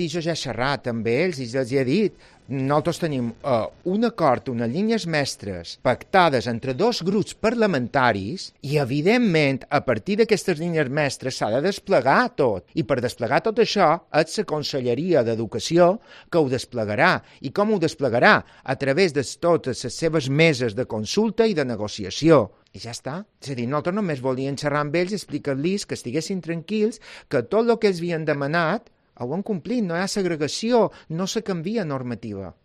I jo ja he xerrat amb ells i els he dit, nosaltres tenim un acord, unes línies mestres pactades entre dos grups parlamentaris i, evidentment, a partir d'aquestes línies mestres s'ha de desplegar tot. I per desplegar tot això és la Conselleria d'Educació que ho desplegarà. I com ho desplegarà? A través de totes les seves meses de consulta i de negociació. I ja està. És a dir, nosaltres només volíem xerrar amb ells i explicar-los que estiguessin tranquils, que tot el que ells havien demanat ho han complit, no hi ha segregació, no se canvia normativa.